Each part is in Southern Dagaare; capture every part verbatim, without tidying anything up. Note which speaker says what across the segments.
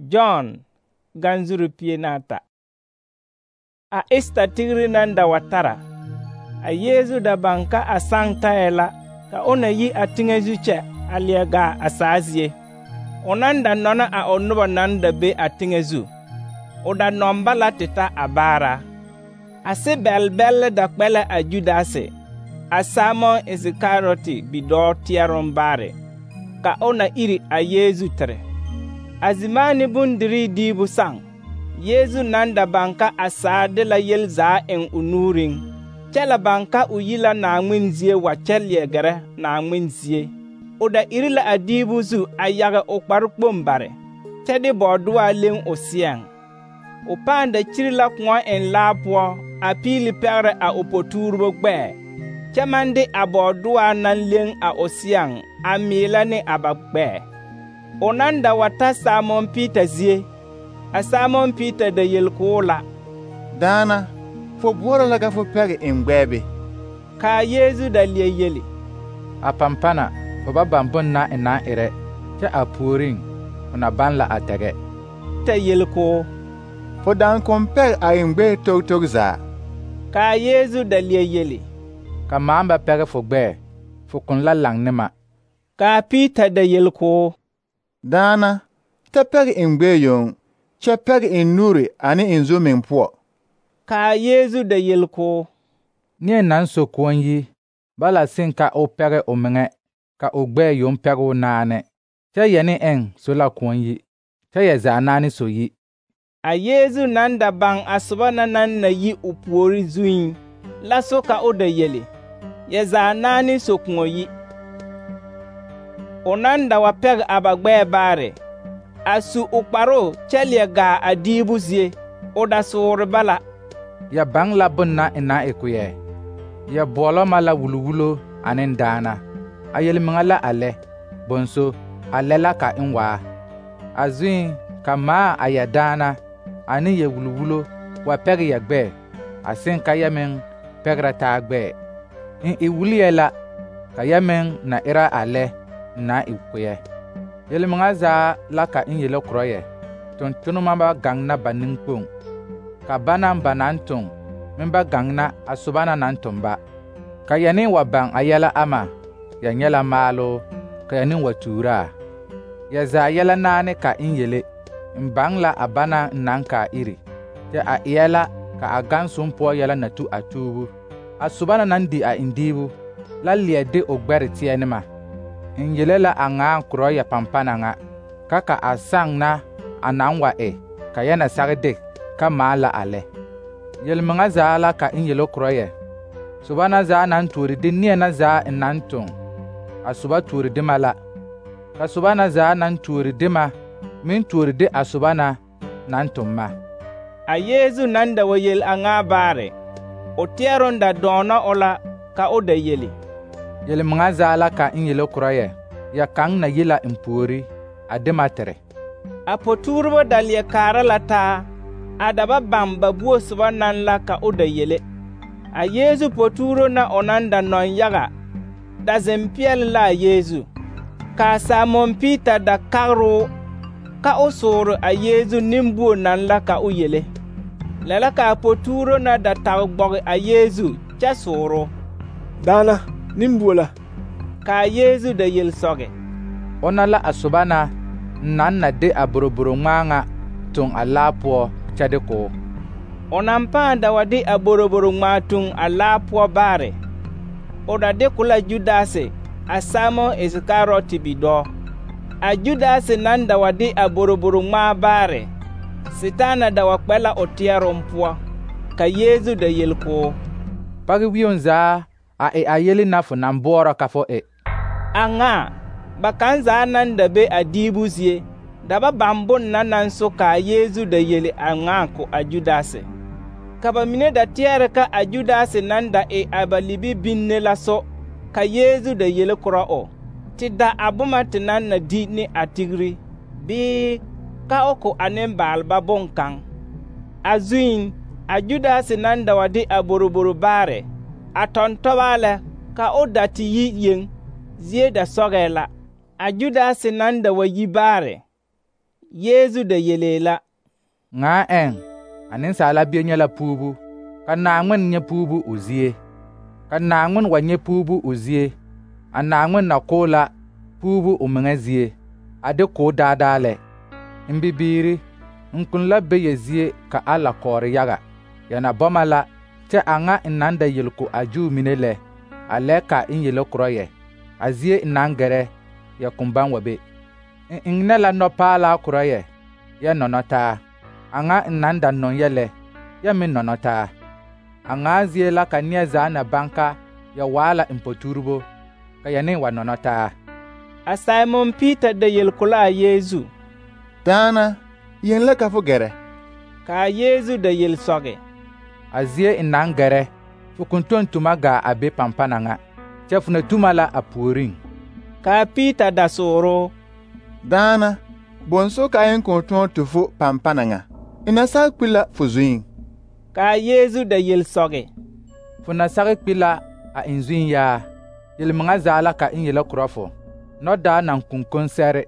Speaker 1: John ganzuru pie naata. A Esta tigri nan da wa tara, a Yeezu da baŋ ka a saŋ tayɛ la ka o na yi a teŋɛ zu kyɛ a leɛ gaa a saa zie. O nan da nɔna a o noba naŋ da be a teŋɛ zu. O da nɔŋ ba la te ta a baara. A sebɛl-bɛlle da kpɛ la a Judase, a Simon Isikariyoti bidɔɔ teɛroŋ baare, ka o na iri a Yeezu tere. A zimaane bondirii diibu saŋ, Yeezu nan da baŋ ka a saa de la yel zaa eŋ o nuuriŋ, kyɛ la baŋ ka o yi la Naaŋmen zie wa kyɛ leɛ gɛrɛ Naaŋmen zie. O da iri la a diibu zu a yage o kparekpoŋ bare, kyɛ de bɔɔduaa leŋ o seɛŋ. O pãã da kyiri la kõɔ eŋ laa poɔ a piili pɛgrɛ a o potuuribo gbɛɛ, kyɛ maŋ de a bɔɔduaa naŋ leŋ a o seɛŋ a meelɛ ne a ba gbɛɛ. O nan da wa ta Simon Piita zie, a Simon Piita da yel k'o la:
Speaker 2: Daana, fo boɔrɔ la ka fo pɛge eŋ gbɛɛ be?
Speaker 1: Kaa Yeezu da leɛ yeli:
Speaker 3: A pampana fo ba baŋ bon na e naŋ erɛ, kyɛ a puoriŋ fo na baŋ la a dɛgɛ.
Speaker 1: Ta yel k'o:
Speaker 2: Fo daaŋ kõn pɛge a eŋ gbɛɛ tog tog zaa.
Speaker 1: Kaa Yeezu da leɛ yeli:
Speaker 3: Ka maŋ ba pɛge fo gbɛɛ, fo kõn la laŋ ne ma.
Speaker 1: Kaa Piita da yel k'o:
Speaker 2: Daana, ta pɛge eŋ gbɛɛ yoŋ, kyɛ pɛge eŋ nuuri ane eŋ zo meŋ poɔ.
Speaker 1: Kaa Yeezu da yel k'o:
Speaker 3: Neɛ naŋ so koɔ yi, bala seŋ ka o pɛge o meŋɛ, ka o gbɛɛ yoŋ pɛge o naane, kyɛ yɛne eŋ so la koɔ yi, kyɛ yɛ zaa naane so yi.
Speaker 1: A Yeezu nan da baŋ a soba na naŋ na yi o puori zuiŋ, la so ka o da yeli: Yɛ zaa naane so koɔ yi. O nan da wa pɛge a ba gbɛɛ baare, a su o kparoo kyɛ leɛ gaa a diibu zie. O da soore bala:
Speaker 3: Ya baŋ la bon na e naŋ e ko yɛ. Ya boɔlɔ ma la wulwulo ane daana. A yelmeŋa la a lɛ, bonso, a lɛ la ka n waa. A zuiŋ ka maa a ya daana ane ya wulwulo wa pɛge ya gbɛɛ, a seŋ ka ya meŋ pɛgrɛ taa gbɛɛ. N e wuliyɛ la ka ya meŋ na era a lɛ n na e ko yɛ. Yelmeŋa zaa la ka n yele korɔ yɛ, tontonema ba gaŋ na ba neŋkpoŋ, ka banaŋ ba naŋ toŋ meŋ ba gaŋ na a soba na naŋ toŋ ba. Ka ya ne wa baŋ a yɛlɛ ama, ya nyɛ la maaloo, ka ya ne wa tuuraa. Ya zaa yɛlɛ naane ka n yele, n baŋ la a banaŋ n naŋ kaa iri, kyɛ a eɛ la ka a gaŋ som poɔ yɛlɛ na tu a tuubu. A soba na naŋ di a indiibu la leɛ de o gbɛre teɛ ne ma. N yele la a ŋaa korɔ ya pampana ŋa, ka ka a saŋ na a naŋ wa e, ka ya na sage de ka maa la a lɛ. Yelmeŋa zaa la ka n yele korɔ yɛ, soba na zaa naŋ tuori de neɛ na zaa n naŋ toŋ, a soba tuori de ma la, ka soba na zaa naŋ tuori de ma meŋ tuori de a soba na naŋ toŋ ma.
Speaker 1: A Yeezu nan da wa yel a ŋaa baare, o teɛroŋ da dɔɔnɔ o la ka o da yeli:
Speaker 3: Yelmeŋa zaa la ka n yele korɔ yɛ, ya kaŋ na yi la n puori, a de ma tere.
Speaker 1: A potuuribo da leɛ kaara la taa, a da ba baŋ ba buo soba naŋ la ka o da yele. A Yeezu potuuro na o nan da nɔŋ yaga da zeŋ peɛle la a Yeezu. Kaa Simon Piita da kagroo ka o soore a Yeezu nembuo naŋ la ka o yele. Lɛ la kaa potuuro na da tage gbɔge a Yeezu kyɛ sooroo:
Speaker 4: Daana, nembuo la.
Speaker 1: Kaa Yeezu da yel sɔge:
Speaker 3: O na la a soba na naŋ na de a boroboro ŋmaa ŋa toŋ a laa poɔ kyɛ de k'o.
Speaker 1: O naŋ pãã da wa de a boroboro ŋmaa toŋ a laa poɔ baare, o da de ko la Judase, a Simon Isikariyoti bidɔɔ. A Judase nan da wa de a boroboro ŋmaa baare, Setaana da wa kpɛ la o teɛroŋ poɔ. Ka Yeezu da yel k'o:
Speaker 3: Page wioŋ zaa a e a yeli na fo naŋ boɔrɔ ka fo e.
Speaker 1: A ŋaa, ba kaŋ zaa naŋ da be a diibu zie, da ba baŋ bon na naŋ so kaa Yeezu da yeli a ŋaa ko a Judase. Ka ba mine da teɛrɛ ka a Judase naŋ da e a ba libi binne la so, ka Yeezu da yele korɔ o, te da a boma te naŋ na di ne a tigri, bii ka o ko a nembaalba boŋkaŋ. A zuiŋ, a Judase naŋ da wa de a boroboro baare, a tɔntɔbaa lɛ ka o da te yi yeŋ, zie da sɔgɛɛ la. A Judase nan da wa yi baare, Yeezu da yelee la:
Speaker 3: Ŋaa ɛŋ, a nensaala bie nyɛ la puubu, ka Naaŋmen nyɛ puubu o zie. Ka Naaŋmen wa nyɛ puubu o zie, a Naaŋmen na k'o la puubu o meŋa zie, a de k'o daadaa lɛ. N bibiiri, n kpĩ la be ya zie ka a la kɔɔre yaga. Ya na bɔma la, kyɛ a ŋa n naŋ da yele ko a Juu mine lɛ, a lɛ ka n yele korɔ yɛ. A zie n naŋ gɛrɛ, ya kõn baŋ wa be. N eŋnɛ la nɔpaalaa korɔ yɛ, ya nɔnɔ taa. A ŋa n naŋ da nɔŋ yɛ lɛ, ya meŋ nɔnɔ taa. A ŋaa zie la ka neɛ zaa na baŋ ka ya waa la n poturebo, ka ya ne wa nɔnɔ taa.
Speaker 1: A Simon Peter da yel ko la a Yeezu:
Speaker 2: Daana, yen la ka fo gɛrɛ?
Speaker 1: Ka a Yeezu da yel sɔge:
Speaker 3: A zie n naŋ gɛrɛ, fo kõn tɔŋ tuma gaa a be pampana ŋa, kyɛ fo na tuma la a puoriŋ.
Speaker 1: Ka a Peter da sooroo:
Speaker 2: Daana, bõnso ka yen kõn tõog tɩ fo pampana ŋa? N na sag kpi la fo zuiŋ.
Speaker 1: Ka a Yeezu da yel sɔge:
Speaker 3: Fo na sag kpi la a n zuiŋ yaa, yel-meŋa zaa la ka n yele korɔ fo. Nɔdaa naŋ kunkon sɛre,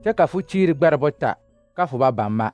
Speaker 3: kyɛ ka fo kyiiri gbɛre bota ka fo ba baŋ ma.